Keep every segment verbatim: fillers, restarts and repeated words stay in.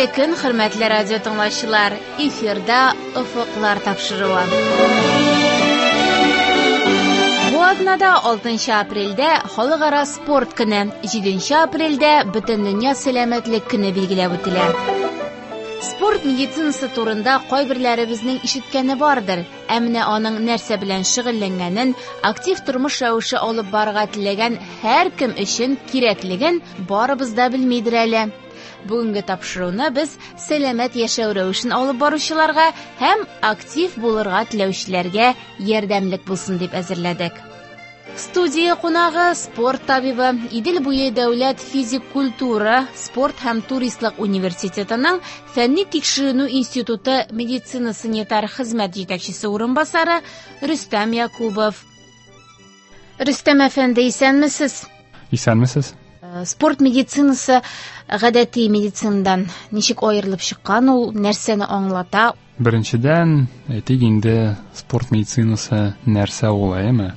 Хәерле көн, хөрмәтле радио тыңлаучылар. Эфирда Офыклар тапшыруы. Бу атнада алтынчы апрельдә Халыкара спорт көне, җиденче апрельдә Бөтендөнья сәламәтлек көне билгеләп үтелә. Спорт медицинасы турында кайберләребезнең ишеткәне бардыр. Ә менә аның нәрсә белән шөгыльләнгәнен, актив тормыш рәвеше алып барырга теләгән һәркем өчен кирәклеген барыбыз да белмидер әле. Бүгенге тапшыруны без сәламәт яшәү рәвешен алып баручыларга һәм актив булырга теләүчеләргә ярдәмлек булсын дип әзерләдек. Студия кунагы спорт табибы, Идел буе дәүләт физик культура, спорт һәм туристлык университетының фәнни тикшеренү институты медицина санитар хезмәт җитәкчесе урынбасары Рөстәм Якубов. Рөстәм әфәнде, исәнмесез? Исәнмесез. Спорт медицинасы гадәти медицинадан ничек аерылып чыккан, ул нәрсәне аңлата? Беренчедән, әйтик инде, спорт медицинасы нәрсә ул, әйеме?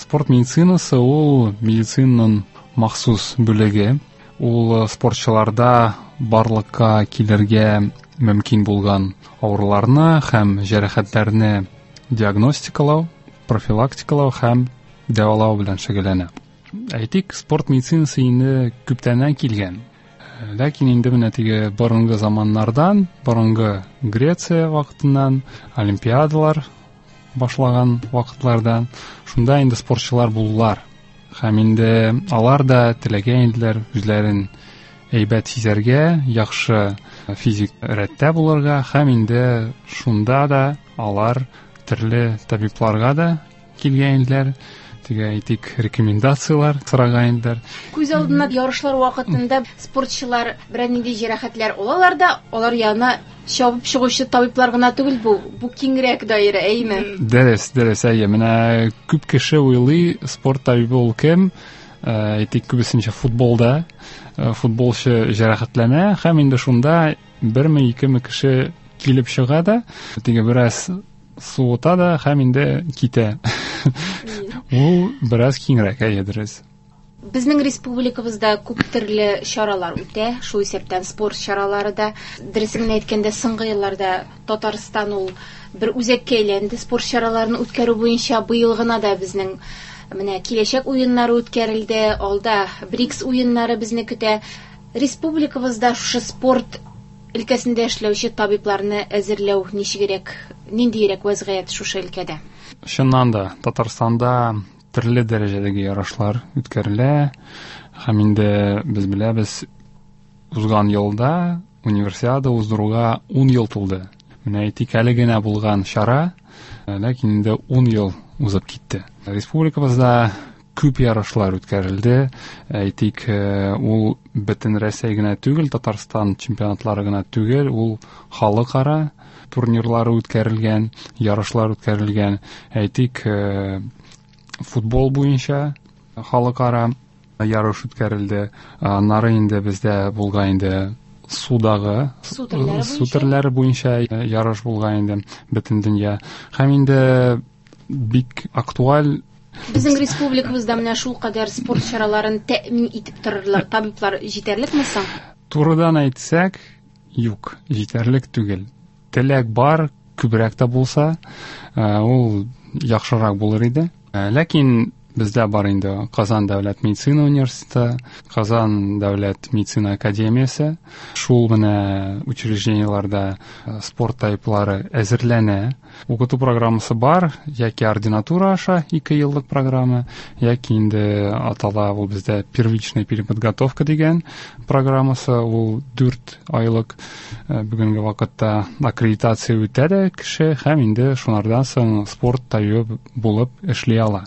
Спорт медицинасы ул медицинаның махсус бүлеге. Ул спортчыларда барлыкка килергә мөмкин булган авыруларны һәм җәрәхәтләрне диагностикалау, профилактикалау һәм дәвалау белән шөгыльләнә. Әйтик, спорт медицинасы инде күптәннән килгән. Ләкин инде менә теге борынгы заманнардан, борынгы Греция вакытыннан, олимпиадалар башлаган вакытлардан, шунда инде спортчылар булдылар. Һәм инде алар да теләгән иделәр үзләрен әйбәт сизәргә, яхшы физик рәттә булырга, һәм инде шунда да алар төрле табибларга да килгән иделәр. Теге, әйтик, рекомендациялар сораган иделәр. Күз алдына ярышлар вакытында спортчылар берәр нинди җәрәхәтләр алалар да, алар янына чабып чыгучы табиблар гына түгел бу, бу киңрәк даирә, әйеме? Дөрес, дөрес, әйе. Менә күп кеше уйлый, спорт табибы ул кем? Әйтик, күбесенчә футболда футболчы җәрәхәтләнә һәм инде шунда берме, икеме кеше килеп чыга да, теге бераз суыта да һәм инде китә. Ул бераз киңрәк, әйе, дөрес. Безнең республикабызда күп төрле чаралар үтә, шул исәптән спорт чаралары да. Дөресен генә әйткәндә, соңгы елларда Татарстан ул бер үзәккә әйләнде спорт чараларын үткәрү буенча. Быел гына да безнең менә киләчәк уеннары үткәрелде, алда БРИКС уеннары безне көтә. Республикабызда шушы спорт өлкәсендә эшләүче табибларны әзерләү ничегрәк, ниндирәк вәзгыять шушы өлкәдә? Чыннан да, Татарстанда төрле дәрәҗәдәге ярышлар үткәрелә. Һәм инде без беләбез, узган елда универсиада уздыруга ун ел тулды. Менә әйтик, әле генә булган чара, ләкин инде ун ел узып китте. Республикабызда күп ярышлар үткәрелде. Әйтик, ул бөтен Рәсәй генә түгел, Татарстан чемпионатлары гына түгел, ул халыкара турнирлары үткәрелгән, ярышлар үткәрелгән. Әйтик, футбол буенча халыкара ярыш үткәрелде. Аннары инде бездә булган инде судагы су төрләре су төрләре буенча ярыш булган инде бөтен дөнья. Һәм инде бик актуаль. Безнең республикабызда менә шул кадәр спорт чараларын тәэмин итеп торырлык табиблар җитәрлек соң? Турыдан әйтсәк, юк, җитәрлек түгел. Теләк бар, күбрәк тә булса, ул яхшырак булыр иде. Ләкин бездә бар инде Казан дәүләт медицина университеты, Казан дәүләт медицина академиясе. Шул менә учреждениеләрдә спорт табиблары әзерләнә. Укыту программасы бар, яки ординатура аша ике еллык программа, яки инде атала ул бездә первичная переподготовка дигән программасы, ул дүрт айлык. Бүгенге вакытта аккредитация үтә дә кеше һәм инде шунардан соң спорт табибы булып эшли ала.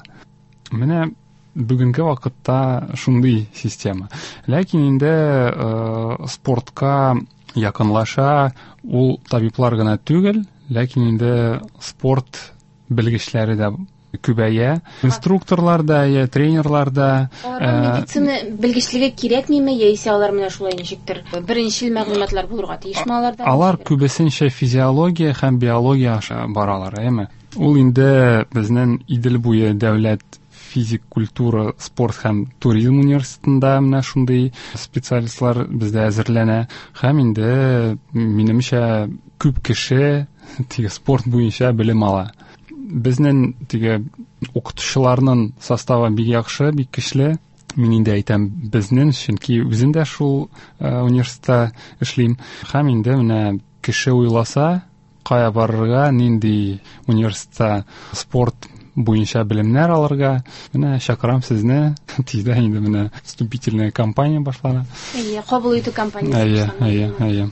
Менә бүгенге вакытта шундый система. Ләкин инде э, спортка якынлаша ул табиблар гына түгел, ләкин инде спорт белгечләре дә күбәя. Инструкторлар да, я тренерлар да. Аларга медицина белгечлеге кирәкмиме, яисә алар менә шулай ничектер беренчел мәгълүматлар булырга тиешме аларда? Алар күбесенчә физиология һәм биология аша баралар, әйеме? Ул инде безнең Идел буе дәүләт физик культура, спорт һәм туризм университетында менә шундый специалистлар бездә әзерләнә. Һәм инде, минемчә, күп кеше теге спорт буенча белем ала. Безнең теге укытучыларның составы бик яхшы, бик көчле. Мин инде әйтәм безнең, чөнки үзем дә шул университетта эшлим. Һәм инде менә кеше уйласа, кая барырга, нинди университетта спорт буенча белемнәр алырга, менә чакырам сезне. Тиздән инде менә вступительная кампания башлана. Әйе, кабул итү кампаниясе. Әйе, әйе, әйе.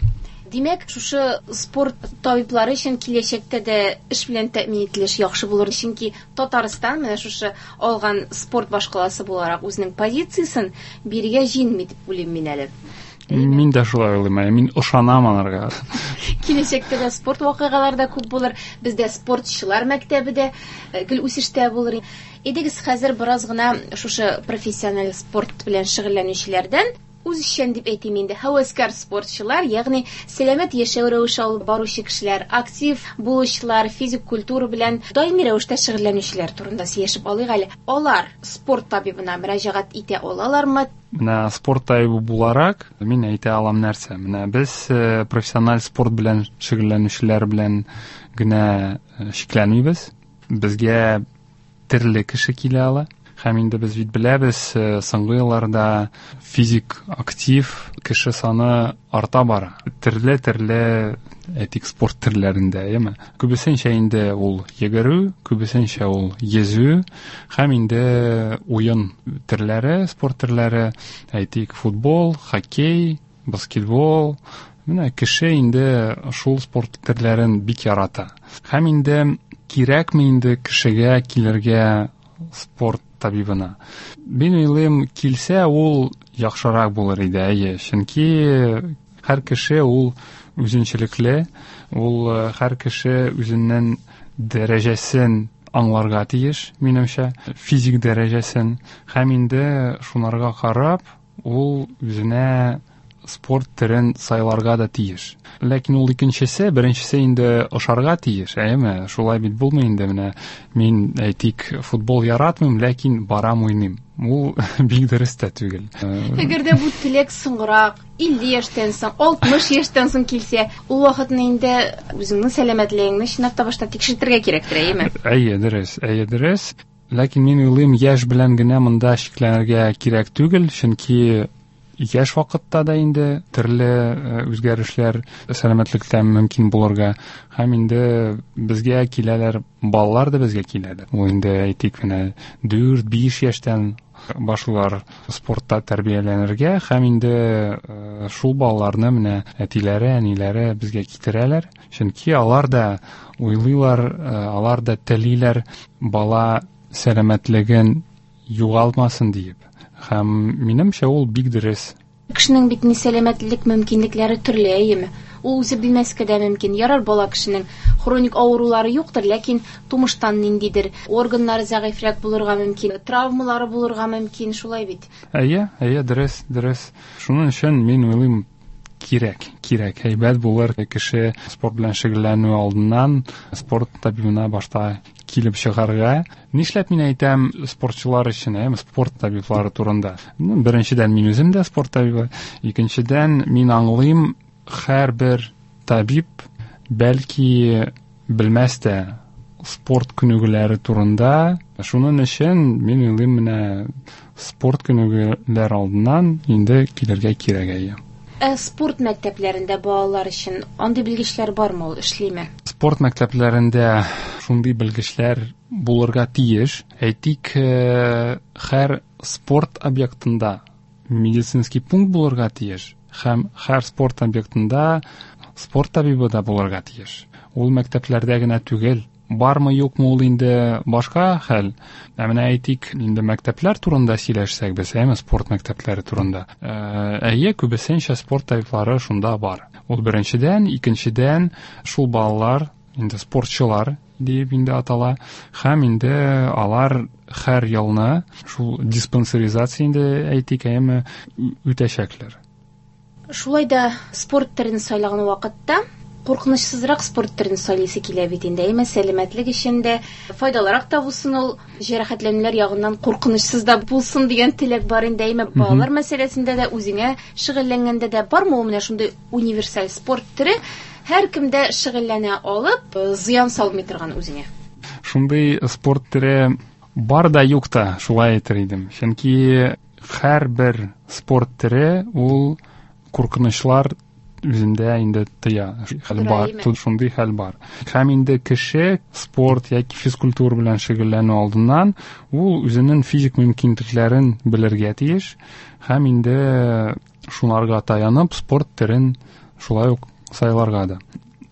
Димәк, шушы спорт табиблары өчен киләчәктә дә эш белән тәэмин ителеш яхшы булыр, чөнки Татарстан менә шушы алган спорт башкаласы буларак үзенең позициясен бирегә җиңми дип уйлыйм мин әле. Мин дә шулай уйлыйм, мин ышанам аларга. Киләчәктә дә спорт вакыйгалары да күп булыр, бездә спортчылар мәктәбе дә гел үсештә булыр. Әйдәгез, хәзер бераз гына шушы профессиональ спорт белән шөгыльләнүчеләрдән үзешчән дип әйтим инде, һәвәскәр спортчылар, ягъни сәламәт яшәү рәвеше алып баручы кешеләр, актив булучылар, физик культура белән даими рәвештә шөгыльләнүчеләр турында сөйләшеп алыйк әле. Алар спорт табибына мөрәҗәгать итә алалармы? Менә спорт табибы буларак мин әйтә алам нәрсә. Менә без профессиональ спорт белән шөгыльләнүчеләр белән генә шикләнмибез. Безгә төрле кеше килә ала. Һәм инде без бит беләбез, соңгы елларда физик актив кеше саны арта бара. Төрле-төрле, әйтик, спорт төрләрендә, әйеме? Күбесенчә инде ул йөгерү, күбесенчә ул йөзү, һәм инде уен төрләре, спорт төрләре, әйтик, футбол, хоккей, баскетбол. Менә кеше инде шул спорт төрләрен бик ярата. Һәм инде кирәкме инде кешегә килергә спорт табибына? Мин уйлыйм, килсә ул яхшырак булыр иде, әйе. Чөнки һәр кеше ул үзенчәлекле, ул һәр кеше үзенең дәрәҗәсен аңларга тиеш, минемчә, физик дәрәҗәсен. Һәм инде шунарга карап, ул үзенә спорт төрен сайларга да тиеш. Ләкин ул икенчесе, беренчесе инде ошарга тиеш, әйеме? Шулай бит булмый инде, менә мин, әйтик, футбол яратмыйм, ләкин барам уйныйм. Ул бик дөрес тә түгел. Әгәр дә бу теләк соңрак, илле яшьтән соң, алтмыш яшьтән соң килсә, ул вакытны инде үзеңнең сәламәтлегеңне чынлап та башта тикшертергә кирәктер, әйеме? Әйе, дөрес, әйе, дөрес. Ләкин мин уйлыйм, яшь белән генә монда шикләнергә кирәк түгел, чөнки яшь вакытта да инде төрле үзгәрешләр сәламәтлектә мөмкин булырга. Һәм инде безгә киләләр, балалар да безгә киләләр. Ул инде, әйтик, менә дүрт, биш яшьтән башлыйлар спортта тәрбияләнергә, һәм инде шул балаларны менә әтиләре, әниләре безгә китерәләр. Чөнки алар да уйлыйлар, алар да телиләр бала сәламәтлеген югалтмасын диеп. Һәм минемчә ул бик дөрес. Кешенең бит ни сәламәтлек мөмкинлекләре төрле, әйеме? Ул үзе белмәскә дә мөмкин. Ярар, бала кешенең хроник авырулары юктыр, ләкин тумыштан ниндидер органнары зәгыйфьрәк булырга мөмкин, травмалары булырга мөмкин, шулай бит? Әйе, әйе, дөрес, дөрес. Шуның өчен мин уйлыйм, кирәк, кирәк. Әйбәт булыр кеше спорт белән шөгыльләнү алдыннан спорт табибына башта килеп чыгарга. Нишләп мин әйтәм спортчылар өчен, әйме, спорт табиблары турында? Беренчедән, мин үзем дә спорт табибы. Икенчедән, мин аңлыйм, һәрбер табиб бәлки белмәс тә спорт күнегүләре турында. Шуның өчен мин уйлыйм, менә спорт күнегүләр алдыннан инде килергә кирәк, әйе. Ә спорт мәктәпләрендә балалар өчен андый белгечләр бармы, ул эшлиме? Спорт мәктәпләрендә шундый белгечләр булырга тиеш. Әйтик, һәр спорт объектында медицинский пункт булырга тиеш һәм һәр спорт объектында спорт табибы да булырга тиеш. Ул мәктәпләрдә генә түгел. Бармы, юкмы, ул инде башка хәл. Ә менә әйтик, инде мәктәпләр турында сөйләшсәк без, әйме, спорт мәктәпләре турында. Әйе, күбесенчә спорт табиблары шунда бар. Ул беренчедән, икенчедән, шул балалар инде спортчылар дип инде атала, һәм инде алар һәр елны шул диспансеризация инде әйтик, әйме, үтәчәкләр. Шулай да спорт төрен сайлаган вакытта Куркынычсызрак спорт төрен сайлыйсы килә бит инде. Әмма сәламәтлек өчен дә файдалырак та булсын ул, җәрәхәтләнүләр ягыннан куркынычсыз да булсын дигән теләк бар инде. Әмма балалар мәсьәләсендә дә, үзеңә шөгыльләнгәндә дә бармы ул менә шундый универсаль спорт төре, һәркем дә шөгыльләнә алып, зыян салмый торган үзеңә? Шундый спорт төре бар да юк та, шулай әйтер идем. Чөнки һәрбер спорт төре ул куркынычлар үзендә инде тыя. Хәл бар, шундый хәл бар. Һәм инде кеше спорт яки физкультура белән шөгыльләнү алдыннан ул үзенең физик мөмкинлекләрен белергә тиеш һәм инде шунарга таянып спорт төрен шулай ук сайларга да.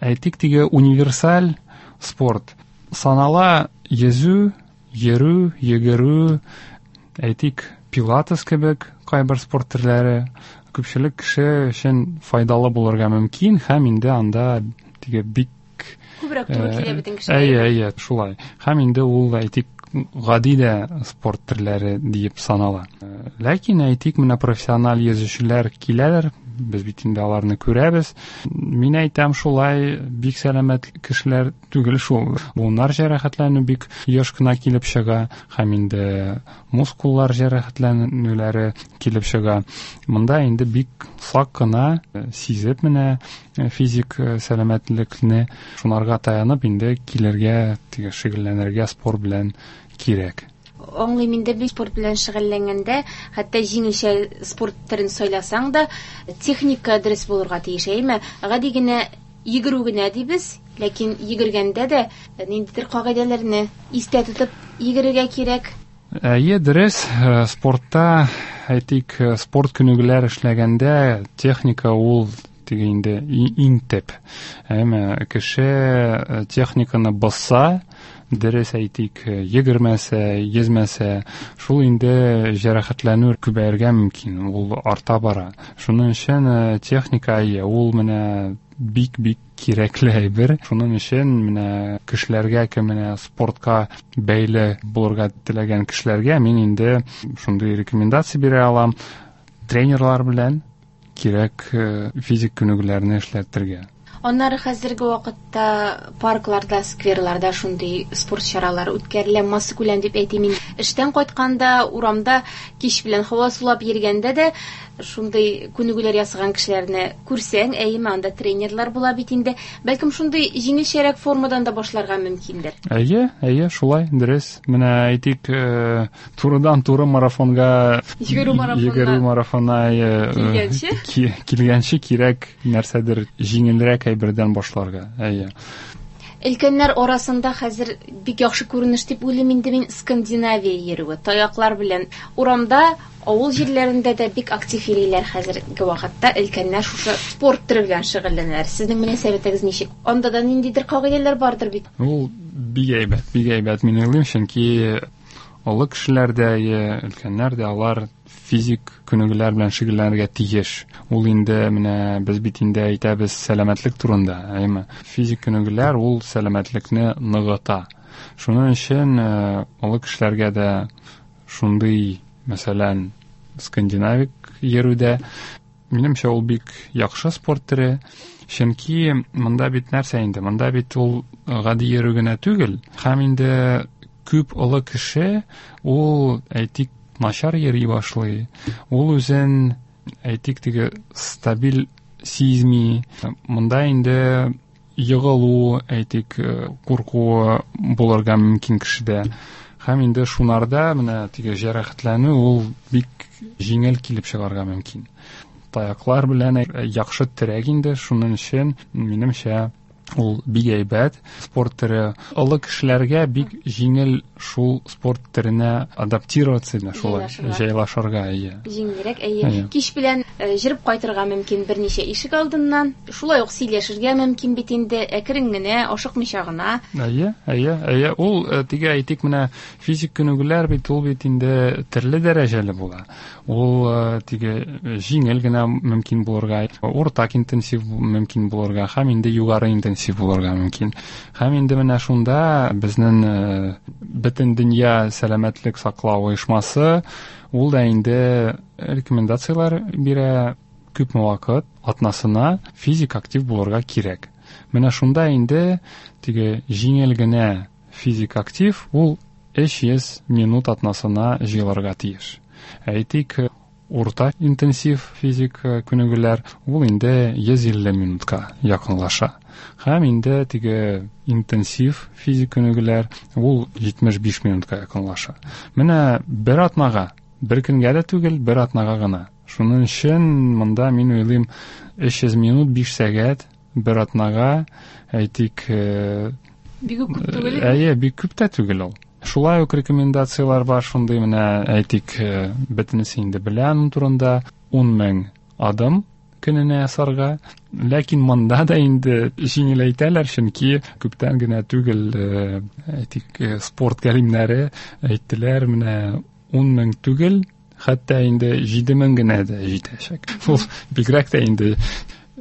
Әйтик, теге универсаль спорт санала йөзү, йөрү, йөгерү, әйтик, пилатес кебек кайбер спорт төрләре күпчелек кеше өчен файдалы булырга мөмкин һәм инде анда теге бик күбрәк туры килә бөтен кешегә. Әйе, әйе, шулай. Һәм инде ул, әйтик, гади дә спорт төрләре диеп санала. Ләкин әйтик, менә профессиональ йөзүчеләр киләләр, без бит инде аларны күрәбез. Мин әйтәм, шулай бик сәламәт кешеләр түгел шул. Буыннар җәрәхәтләнү бик еш кына килеп чыга, һәм инде мускуллар җәрәхәтләнүләре килеп чыга. Монда инде бик сак кына сизеп менә физик сәламәтлекне шунарга таянып инде килергә, теге шөгыльләнергә спорт белән кирәк. Аңлыйм инде, бит спорт белән шөгыльләнгәндә, хәтта җиңелчә спорт төрен сайласаң да, техника дөрес булырга тиеш, әйме? Гади генә йөгерү генә дибез, ләкин йөгергәндә дә ниндидер кагыйдәләрне истә тотып йөгерергә кирәк. Әйе, дөрес, спортта, әйтик, спорт күнегүләр эшләгәндә техника ул теге инде иң төп. Әмма кеше техниканы бозса, дөрес әйтик, йөгермәсә, йөзмәсә, шул инде җәрәхәтләнү күбәергә мөмкин, ул арта бара. Шуның өчен техника, әйе, ул менә бик-бик кирәкле әйбер. Шуның өчен менә кешеләргә, кем менә спортка бәйле булырга теләгән кешеләргә мин инде шундый рекомендация бирә алам. Тренерлар белән кирәк физик күнегүләрне эшләтергә. Аннары хәзерге вакытта паркларда, скверларда шундый спорт чаралары үткәрелә, массакүләм дип әйтим инде. Эштән кайтканда, урамда кич белән һава сулап йөргәндә дә шундый күнегүләр ясаган кешеләрне күрсәң, әйеме, анда тренерлар була бит инде. Бәлкем шундый җиңелчәрәк формадан да башларга мөмкиндер. Әйе, әйе, шулай, дөрес. Менә әйтик, турыдан-туры марафонга, йөгерү марафонына, йөгерү марафонына килгәнче, килгәнче кирәк нәрсәдер җиңелрәк әйбердән башларга. Әйе. Өлкәннәр арасында хәзер бик яхшы күренеш дип уйлыйм инде мин, Скандинавия йөрүе, таяклар белән. Урамда, авыл җирләрендә дә бик актив йөриләр хәзерге вакытта. Өлкәннәр шушы спорт төре белән шөгыльләнәләр. Сезнең мөнәсәбәтегез ничек? Анда да ниндидер кагыйдәләр бардыр бит. Ул бик әйбәт, бик әйбәт мин уйлыйм, чөнки олы кешеләр дә, өлкәннәр дә алар физик күнегүләр белән шөгыльләнергә тиеш. Ул инде менә без бит инде әйтәбез сәламәтлек турында, әйме? Физик күнегүләр ул сәламәтлекне ныгыта. Шуның өчен олы кешеләргә дә шундый, мәсәлән, скандинавик йөрүдә, минемчә, ул бик яхшы спорт төре. Чөнки монда бит нәрсә инде? Монда бит ул гади йөрү генә түгел. Һәм инде күп олы кеше ул, әйтик, начар йөри башлый. Ул үзен, әйтик, теге стабиль сизми. Монда инде егылу, әйтик, курку булырга мөмкин кешедә. Һәм инде шунарда менә теге җәрәхәтләнү ул бик җиңел килеп чыгарга мөмкин. Таяклар белән яхшы терәк инде, шуның өчен, минемчә, ул бик әйбәт спорт төре. Олы кешеләргә бик җиңел шул спорт төренә адаптироваться, шулай җайлашырга, әйе. Җиңелрәк, әйе. Кич белән җырып кайтырга мөмкин берничә ишек алдыннан. Шулай ук сөйләшергә мөмкин бит инде, әкрен генә, ашыкмыйча гына. Әйе, әйе, әйе. Ул теге әйтик, менә физик күнегүләр бит ул бит инде төрле дәрәҗәле була. Ул теге җиңел генә мөмкин булырга, уртак интенсив мөмкин булырга һәм инде югары интенсив булырга мөмкин. Һәм инде менә шунда безнең бөтен дөнья сәламәтлек саклау оешмасы ул да инде рекомендацияләр бирә, күпме вакыт атнасына физик актив булырга кирәк. Менә шунда инде теге җиңел генә физик актив ул өч йөз минут атнасына җыелырга тиеш. Әйтик, урта интенсив физик күнегүләр ул инде йөз илле минутка якынлаша. Һәм инде теге интенсив физик күнегүләр ул җитмеш биш минутка якынлаша. Менә бер атнага, бер көнгә дә түгел, бер атнага гына. Шуның өчен монда мин уйлыйм, өч йөз минут, биш сәгать бер атнага, әйтик, бик күп түгел. Әйе, бик күп тә түгел ул. Шулай ук рекомендациялар бар шундый, менә әйтик, бөтенесе инде белә аның турында, ун мең адым көненә ясарга. Ләкин монда да инде җиңеләйтәләр, чөнки күптән генә түгел, әйтик, спорт галимнәре әйттеләр, менә ун мең түгел, хәтта инде җиде мең генә дә җитәчәк. Ул бигрәк тә инде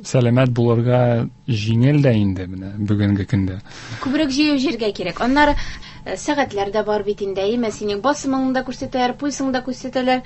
сәламәт булырга җиңел дә инде менә бүгенге көндә. Күбрәк җыю җиргә кирәк. Аннары сәгатьләр дә бар бит инде, әйме, синең басымыңны да күрсәтәләр, пульсыңны да күрсәтәләр,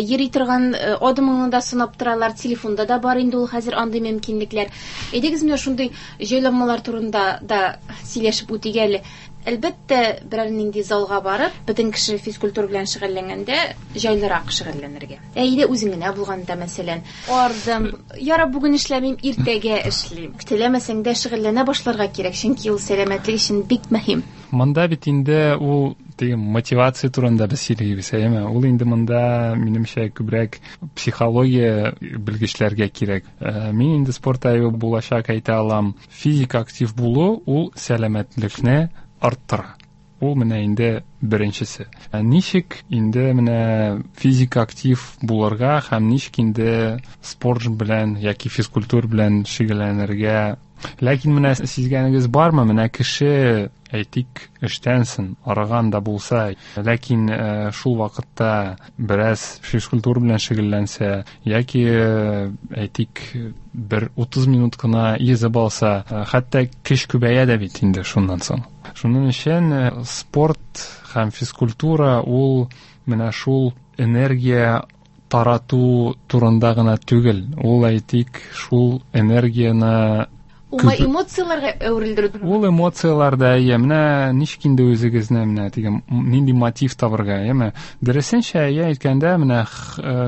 йөри торган адымыңны да сынап торалар, телефонда да бар инде ул хәзер андый мөмкинлекләр. Әйдәгез, менә шундый җайланмалар турында да сөйләшеп үтик әле. Әлбәттә, берәр нинди залга барып, бөтен кеше физкультура белән шөгыльләнгәндә җайлырак шөгыльләнергә. Ә өйдә үзең генә булганда, мәсәлән, ардым, ярар, бүген эшләмим, иртәгә эшлим. Теләмәсәң дә шөгыльләнә башларга кирәк, чөнки ул сәламәтлек өчен бик мөһим. Монда бит инде ул теге мотивация турында без сөйлибез, әйеме? Ул инде монда, минемчә, күбрәк психология белгечләргә кирәк. Мин инде спорт табибы булачак әйтә алам. Физик актив булу ул сәламәтлекне арттыра. Ул менә инде беренчесе. Ничек инде менә физик актив булырга һәм ничек инде спорт белән яки физкультура белән шөгыльләнергә? Ләкин менә сизгәнегез бармы, менә кеше, әйтик, эштән соң арыган да булса, ләкин шул вакытта бераз физкультура белән шөгыльләнсә, яки, әйтик, бер утыз минут кына йөзеп алса, хәтта көч күбәя дә бит инде шуннан соң. Шуның өчен спорт һәм физкультура ул менә шул энергия тарату турында гына түгел. Ул, әйтик, шул энергияне уңай эмоцияләргә әверелдерү. Ул эмоцияләр дә, әйе, менә ничек инде үзегезне менә теге нинди мотив табырга, әйеме? Дөресенчә, әйе, әйткәндә, менә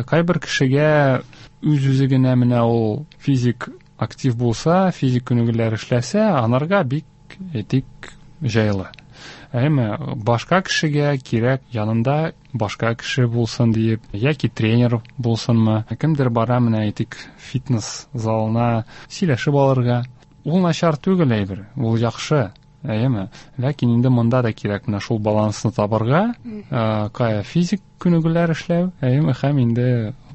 кайбер кешегә үз-үзе генә менә ул физик актив булса, физик күнегүләр эшләсә, анарга бик, әйтик, җайлы. Әйеме, башка кешегә кирәк янында башка кеше булсын диеп, яки тренер булсынмы, кемдер бара менә, әйтик, фитнес залына сөйләшеп алырга. Ул начар түгел әйбер, ул яхшы, әйеме? Ләкин инде монда да кирәк менә шул балансны табырга, кая физик күнегүләр эшләү, әйеме, һәм инде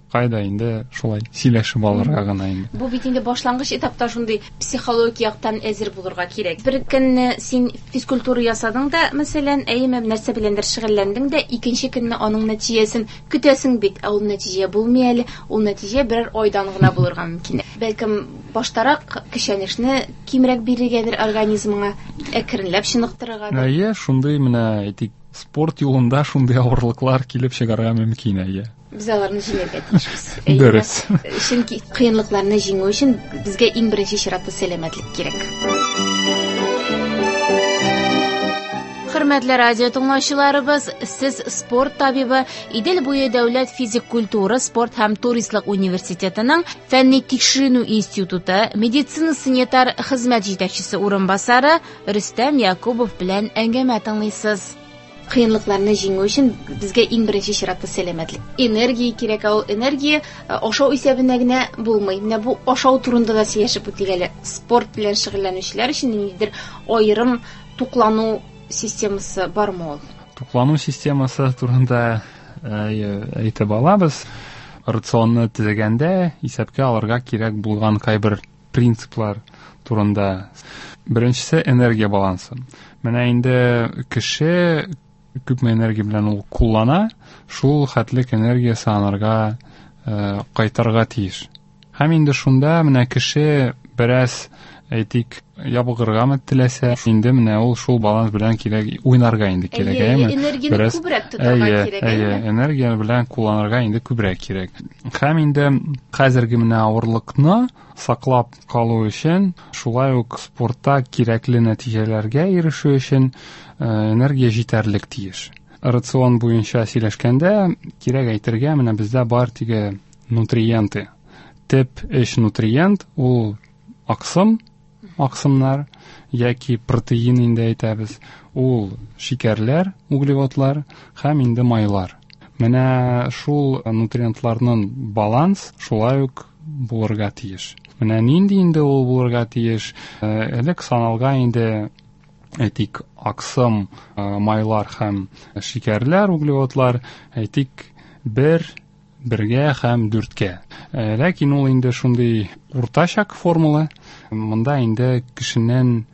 кайда инде шулай сөйләшеп алырга гына инде. Бу бит инде башлангыч этапта шундый психологик яктан әзер булырга кирәк. Бер көнне син физкультура ясадың да, мәсәлән, әйеме, нәрсә беләндер шөгыльләндең дә, икенче көнне аның нәтиҗәсен көтәсең бит, ә ул нәтиҗә булмый әле, ул нәтиҗә берәр айдан гына булырга мөмкин. Бәлкем баштарак көчәнешне кимрәк бирергәдер организмыңа, әкренләп чыныктырыргадыр. Әйе, шундый менә, әйтик, спорт юлында шундый авырлыклар килеп чыгарга мөмкин, әйе. Без аларны җиңәргә тиешбез. Дөрес. Чөнки кыенлыкларны җиңү өчен безгә иң беренче чиратта сәламәтлек кирәк. Хөрмәтле радио тыңлаучыларыбыз, сез спорт табибы, Идел буе дәүләт физик культура, спорт һәм туристлык университетының фәнни тикшеренү институты медицина санитар хезмәт җитәкчесе урынбасары Рөстәм Якубов белән әңгәмә тыңлыйсыз. Кыенлыкларны җиңү өчен безгә иң беренче чиратта сәламәтлек. Энергия кирәк, ә ул энергия ашау исәбенә генә булмый. Менә бу ашау турында да сөйләшеп үтик әле. Спорт белән шөгыльләнүчеләр өчен ниндидер аерым туклану системасы бармы ул? Туклану системасы турында әйтеп алабыз. Рационны төзегәндә исәпкә алырга кирәк булган кайбер принциплар турында. Беренчесе энергия балансы. Менә инде кеше күпме энергия белән ул куллана, шул хәтлек энергиясе анарга кайтарга тиеш. Һәм инде шунда менә кеше бераз әйтик, ябыгыргамы теләсә, инде менә ул шул баланс белән кирәк уйнарга инде кирәк, әйеме? Энергияне күбрәк тотарга кирәк, әйе, энергия белән кулланырга инде күбрәк кирәк. Һәм инде хәзерге менә авырлыкны саклап калу өчен, шулай ук спортта кирәкле нәтиҗәләргә ирешү өчен энергия җитәрлек тиеш. Рацион буенча сөйләшкәндә, кирәк әйтергә, менә бездә бар теге нутриенты. Тип өч нутриент ул аксым, аксымнар яки протеин инде әйтәбез, ул шикәрләр, углеводлар һәм инде майлар. Менә шул нутриентларның баланс шулай ук булырга тиеш. Менә нинди инде ул булырга тиеш? Элек саналган инде, әйтик, аксым, майлар һәм шикәрләр, углеводлар, әйтик, бер, бергә һәм дүрткә. Ләкин ул инде шундый уртачак формула. Монда инде кешенең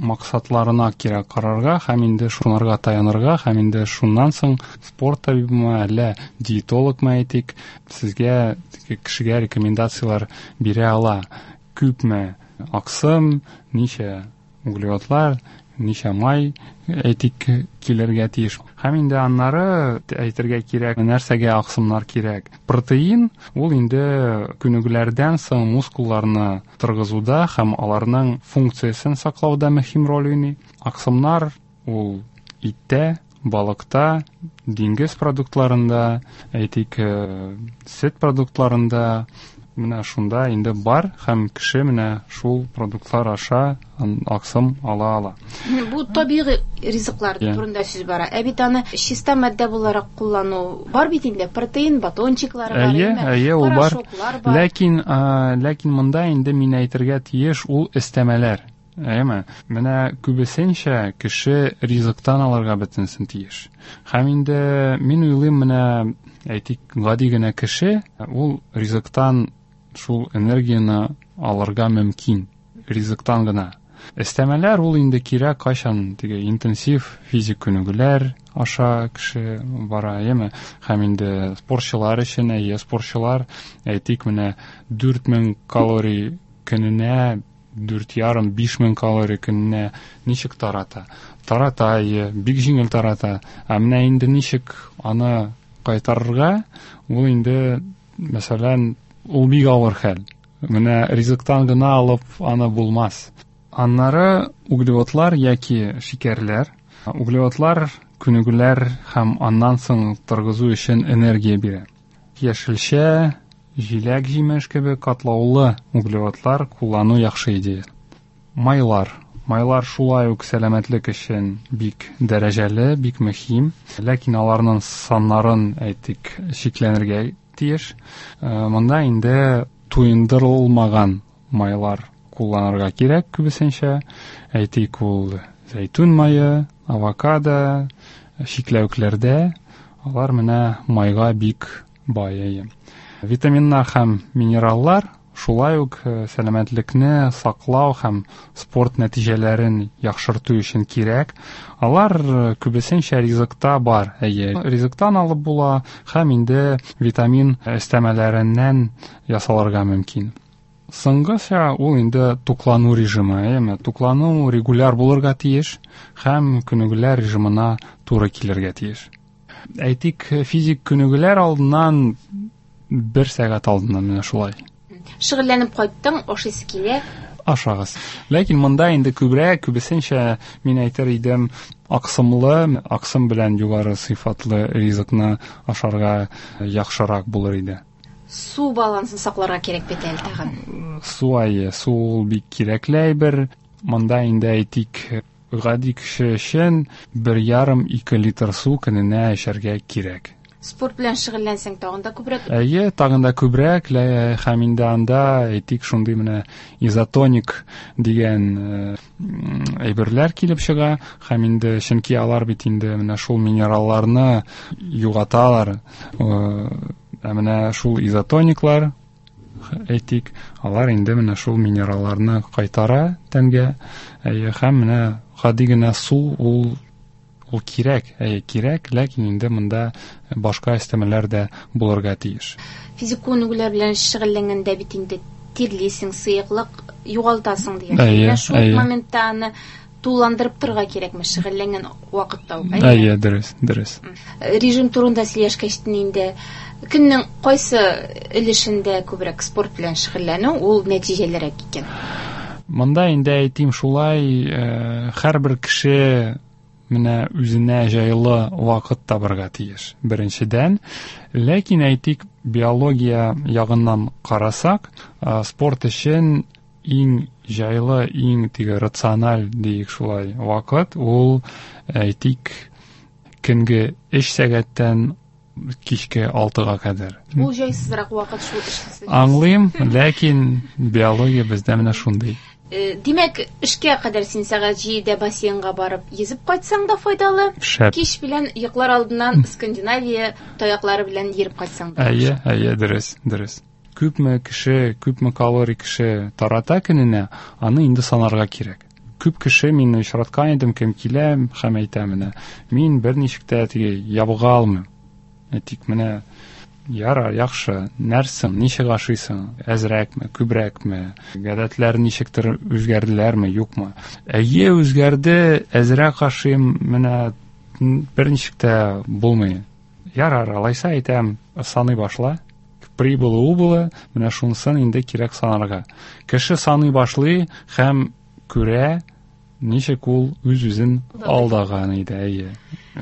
максатларына кирәк карарга һәм инде шунарга таянырга һәм инде шуннан соң спорт табибымы, әллә диетологмы, әйтик, сезгә кешегә рекомендацияләр бирә ала. Күпме аксым, ничә углеводлар, ничә май, әйтик, килергә тиеш. Һәм инде аннары әйтергә кирәк, нәрсәгә аксымнар кирәк. Протеин ул инде күнегүләрдән соң мускулларны торгызуда һәм аларның функциясен саклауда мөһим роль уйный. Аксымнар ул иттә, балыкта, диңгез продуктларында, әйтик, сөт продуктларында, менә шунда инде бар һәм кеше менә шул продуктлар аша аксым ала ала. Бу табигый ризыклар турында сүз бара. Ә бит аны чиста матдә буларак куллану бар бит инде, протеин батончиклары бар, әйе, әйе, ул бар. Ләкин, ләкин монда инде мин әйтергә тиеш, ул өстәмәләр. Әйеме? Менә күбесенчә кеше ризыктан алырга бөтенсен тиеш. Һәм инде мин уйлыйм, менә әйтик, гади генә кеше ул ризыктан шул энергияне алырга мөмкин, ризыктан гына. Өстәмәләр ул инде кирәк кайчан теге интенсив физик күнегүләр аша кеше бара, әйеме? Һәм инде спортчылар өчен, әйе, спортчылар, әйтик, менә дүрт мең калорий көненә, дүрт ярым, биш мең калорий көненә ничек тарата? Тарата, әйе, бик җиңел тарата. Ә менә инде ничек аны кайтарырга, ул инде, мәсәлән, ул бик авыр хәл. Менә ризыктан гына алып аны булмас. Аннары углеводлар яки шикәрләр. Углеводлар күнегүләр һәм аннан соң торгызу өчен энергия бирә. Яшелчә, җиләк-җимеш кебек катлаулы углеводлар куллану яхшы идея. Майлар. Майлар шулай ук сәламәтлек өчен бик дәрәҗәле, бик мөһим. Ләкин аларның саннарын, әйтик, чикләнергә тиеш. Монда инде туендырылмаган майлар кулланырга кирәк күбесенчә. Әйтик, ул зәйтүн мае, авокадо, чикләвекләрдә алар менә майга бик бай. Витаминнар һәм минераллар шулай ук сәламәтлекне саклау һәм спорт нәтиҗәләрен яхшырту өчен кирәк. Алар күбесенчә ризыкта бар. Әйе, ризыктан алып була һәм инде витамин өстәмәләреннән ясалырга мөмкин. Соңгысы ул инде туклану режимы. Әйеме? Туклану регуляр булырга тиеш һәм күнегүләр режимына туры килергә тиеш. Әйтик, физик күнегүләр алдыннан бер сәгать алдыннан менә шулай. Шөгыльләнеп кайттың, ашыйсы килә. Ашагыз. Ләкин монда инде күбрәк, күбесенчә мин әйтер идем, аксымлы, аксым белән югары сыйфатлы ризыкны ашарга яхшырак булыр иде. Су балансын сакларга кирәк бит әле тагын. Су, әйе, су ул бик кирәкле әйбер. Монда инде әйтик, гади кеше өчен бер ярым ике литр су көненә эчәргә кирәк. Спорт белән шөгыльләнсәң тагын да күбрәк. Әйе, тагын да күбрәк, һәм инде анда әйтик шундый менә изотоник дигән әйберләр килеп чыга, һәм инде чөнки алар бит инде менә шул минералларны югаталар. Ә менә шул изотониклар, әйтик, алар инде менә шул минералларны кайтара тәнгә. Әйе, һәм менә гади генә су ул ул кирәк, әйе, кирәк, ләкин инде монда башка өстәмәләр дә булырга тиеш. Физик күнегүләр белән шөгыльләнгәндә бит инде тирлисең, сыеклык югалтасың дигән. Менә шул моментта аны тулыландырып торырга кирәкме, шөгыльләнгән вакытта ук? Әйе, дөрес, дөрес. Режим турында сөйләшкәч инде көннең кайсы өлешендә күбрәк спорт белән шөгыльләнү ул нәтиҗәлерәк икән? Монда инде әйтим шулай, һәрбер кеше менә үзенә җайлы вакыт табырга тиеш. Беренчедән, ләкин әйтик, биология ягыннан карасак, спорт өчен иң җайлы, иң теге рациональ диек шулай вакыт ул әйтик көнге өч сәгатьтән кичке алтыга кадәр. Ул җайсызрак вакыт шул эшсез. Аңлыйм, ләкин биология бездә менә шундый. Димәк, эшкә кадәр син сәгать җидедә бассейнга барып йөзеп кайтсаң да файдалы. Шәп. Кич белән йоклар алдыннан Скандинавия таяклары белән йөреп кайтсаң да. Әйе, әйе, дөрес, дөрес. Күпме кеше, күпме калорий кеше тарата көненә, аны инде санарга кирәк. Күп кеше мин очраткан идем, кем килә һәм әйтә менә, мин берничек тә теге ябыга алмыйм. Әйтик, менә ярар, яхшы, нәрсең, ничек ашыйсың, әзрәкме, күбрәкме, гадәтләр ничектер үзгәрделәрме, юкмы? Әйе, үзгәрде, әзрәк ашыйм, менә берничек тә булмый. Ярар, алайса әйтәм, саный башла. Прибылы, убылы, менә шунысын инде кирәк санарга. Кеше саный башлый һәм күрә, ничек ул үз-үзен алдаган иде, әйе.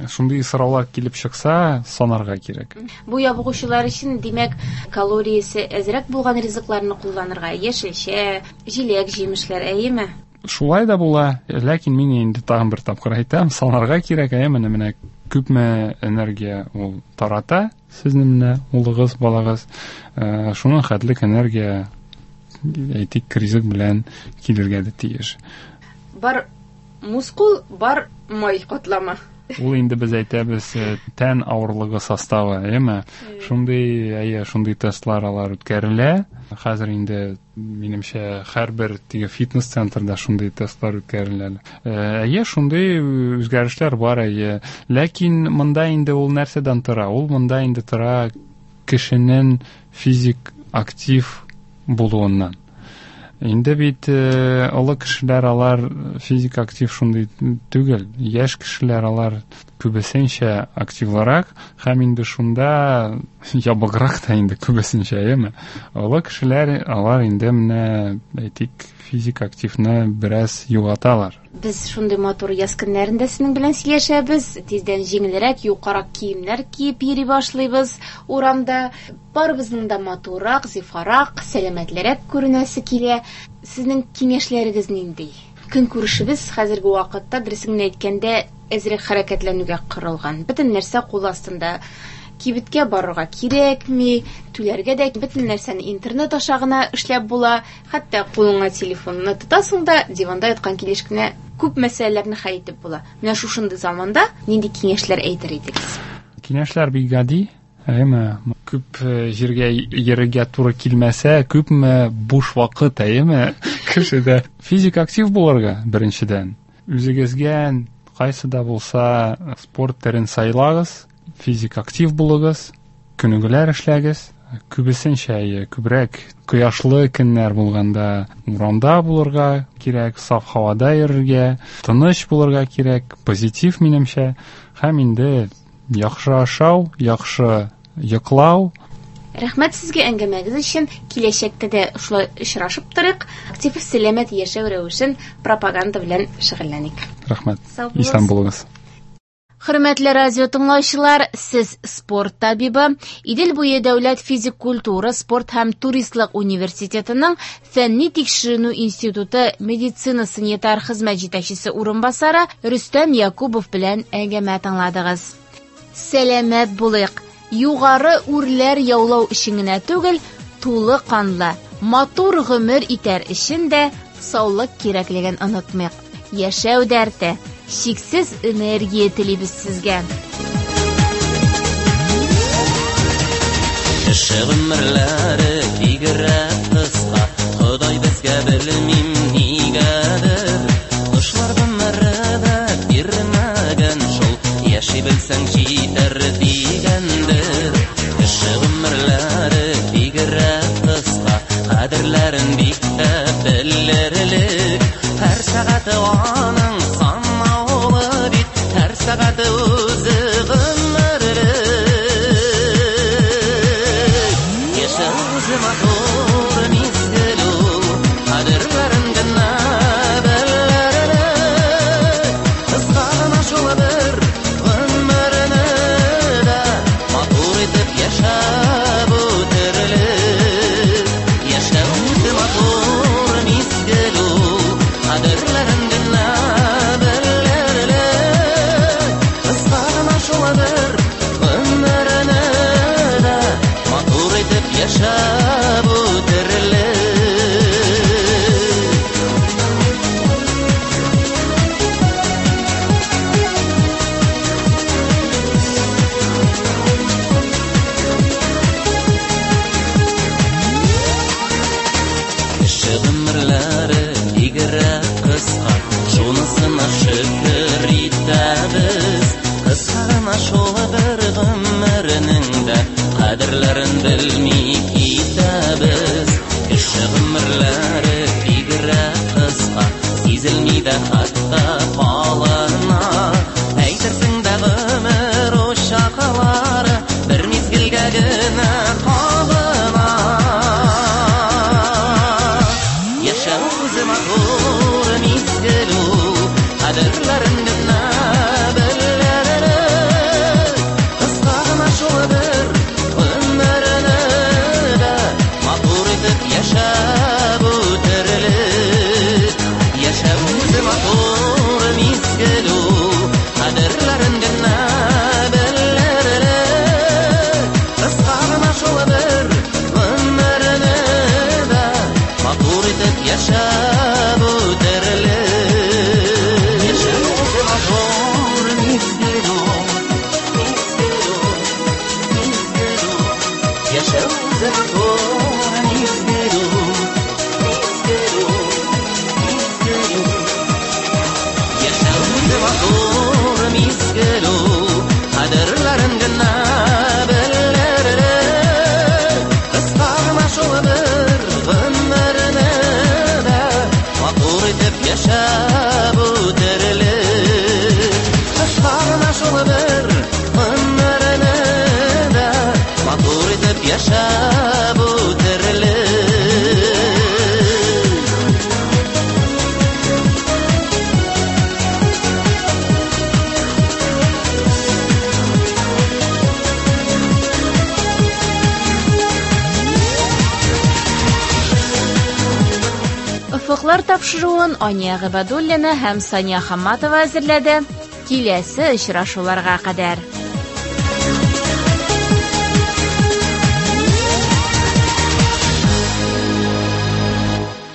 Шундый сораулар килеп чыкса, санарга кирәк. Бу ябыгучылар өчен, димәк, калориясе әзрәк булган ризыкларны кулланырга, яшелчә, җиләк-җимешләр, әйеме? Шулай да була, ләкин мин инде тагын бер тапкыр әйтәм, санарга кирәк, әйе, менә менә күпме энергия ул тарата, сезнең менә улыгыз, балагыз, шуның хәтлек энергия, әйтик, ризык белән килергә дә тиеш. Бар мускул, бар май катлама. Ул инде без әйтәбез тән авырлыгы составы, әйеме? Шундый, әйе, шундый тестлар алар үткәрелә. Хәзер инде минемчә һәрбер теге фитнес-центрда шундый тестлар үткәрелә. Әйе, шундый үзгәрешләр бар, әйе. Ләкин монда инде ул нәрсәдән тора? Ул монда инде тора кешенең физик актив булуыннан. Инде бит олы кешеләр алар физик актив шундый түгел. Яшь кешеләр алар күбесенчә активлырак һәм инде шунда ябыграк та инде күбесенчә, әйеме? Олы кешеләр алар инде менә әйтик физик активны бераз югалталар. Без шундый матур яз көннәрендә сезнең белән сөйләшәбез. Тиздән җиңелрәк, юкарак киемнәр киеп йөри башлыйбыз урамда. Барыбызның да матуррак, зифарак, сәламәтлерәк күренәсе килә. Сезнең киңәшләрегез нинди? Көнкүрешебез хәзерге вакытта, дөресен генә әйткәндә, әзрәк хәрәкәтләнүгә корылган. Бөтен нәрсә кул астында. Кибеткә барырга кирәкми, түләргә дә бөтен нәрсәне интернет аша гына эшләп була. Хәтта кулыңа телефонны тотасың да, диванда яткан килеш кенә күп мәсьәләләрне хәл итеп була. Менә шушындый заманда нинди киңәшләр әйтер идегез? Киңәшләр бик гади. Әйеме, күп җиргә йөрергә туры килмәсә, күпме буш вакыт, әйеме, кешедә. Физик актив булырга, беренчедән. Үзегезгә кайсы да булса спорт төрен сайлагыз, физик актив булыгыз, күнегүләр эшләгез. Күбесенчә, күбрәк кояшлы көннәр булганда урамда булырга кирәк, саф һавада йөрергә, тыныч булырга кирәк, позитив минемчә. Һәм инде яхшы ашау, яхшы йоклау. Рәхмәт сезгә әңгәмәгез өчен. Киләчәктә дә шулай очрашып торыйк. Актив сәламәт яшәү рәвешен пропаганда белән шөгыльләник. Рәхмәт. Исән булыгыз. Хөрмәтле радио тыңлаучылар, сез спорт табибы, Идел буе дәүләт физик культура, спорт һәм туристлык университетының фәнни тикшеренү институты медицина санитар хезмәт җитәкчесе урынбасары Рөстәм Якубов белән әңгәмә тыңладыгыз. Сәламәт булыйк. Югары үрләр яулау өчен генә түгел, тулы канлы, матур гомер итәр өчен дә саулык кирәклеген онытмыйк. Яшәү дәрте, чиксез энергия телибез сезгә. Кеше гомерләре бигрәк кыска, Ходай безгә белмим нигәдер. Кошлар гомере дә бирмәгән шул, яши белсәң җитәр дигәндер. Кеше гомерләре бигрәк кыска, кадерләрен бик тә белеп үзе матур мизгел ул, кадерләрен генә белерлек. Кыска гына шул бер гомерне дә матур итеп яшәп үтерлек. Яшәү үзе матур мизгел ул, кадерләрен генә белерлек. Кыска гына шул бер гомерне дә матур итеп яшәп үтерлек. Кеше гомерләре бигрәк кыска, шунысына шөкер итәбез. Кыска гына шул бер гомернең дә кадерләрен белми китәбез. Кеше гомерләре бигрәк кыска, сизелми дә хәтта калына. Әйтерсең дә гомер учаклары бер мизгелгә генә кабына. Яшәү үзе матур мизгел ул, кадерләрен генә белерлек. Кыска гына шул бер гомерне дә матур итеп яшәп үтерлек. Яшәү үзе матур мизгел ул, кадерләрен генә белерлек. Кыска гына шул бер гомерне дә матур итеп яшәп үтерлек. Яшәү үзе матур мизгел ул, мизгел ул, мизгел ул. Яшәү үзе матур мизгел ул, мизгел ул, мизгел ул. Яшәү үзе матур мизгел ул, кадерләрен генә белерлек. Кыска гына шул бер гомерне дә матур итеп яшәп үтерлек. Кыска гына шул бер гомерне дә матур итеп яшәп үтерлек. Офыклар тапшыруын Ания Гыйбадуллина һәм Сания Хамматова әзерләде. Киләсе очрашуларга кадәр.